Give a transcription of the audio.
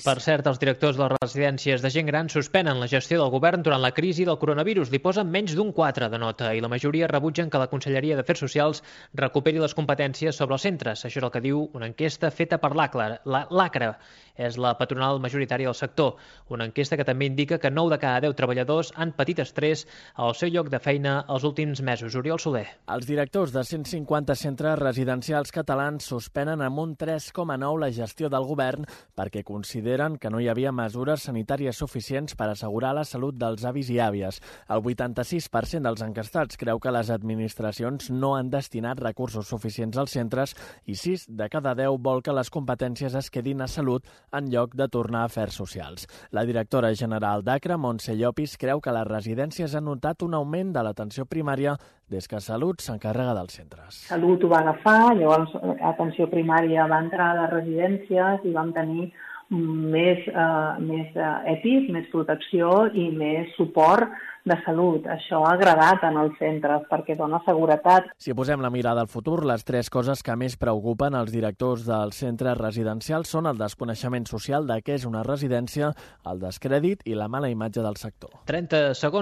Per cert, els directors de les residències de gent gran suspenen la gestió del govern durant la crisi del coronavirus. Li posen menys d'un 4 de nota i la majoria rebutgen que la Conselleria d'Afers Socials recuperi les competències sobre els centres. Això és el que diu una enquesta feta per l'ACRA. És la patronal majoritària del sector. Una enquesta que també indica que 9 de cada 10 treballadors han patit estrès al seu lloc de feina els últims mesos. Oriol Soler. Els directors de 150 centres residencials catalans suspenen amb un 3,9 la gestió del govern perquè consideren que no hi havia mesures sanitàries suficients per assegurar la salut dels avis i àvies. El 86% dels enquestats creu que les administracions no han destinat recursos suficients als centres i 6 de cada 10 vol que les competències es quedin a salut en lloc de tornar a afers socials. La directora general d'ACRA, Montse Llopis, creu que les residències han notat un augment de l'atenció primària des que Salut s'encarrega dels centres. Salut ho va agafar, llavors atenció primària va entrar a les residències i vam tenir més EPIs, més protecció i més suport de salut. Això ha agradat en els centres perquè dona seguretat. Si posem la mirada al futur, les 3 coses que més preocupen els directors dels centres residencials són el desconeixement social de què és una residència, el descrèdit i la mala imatge del sector. 30 segons.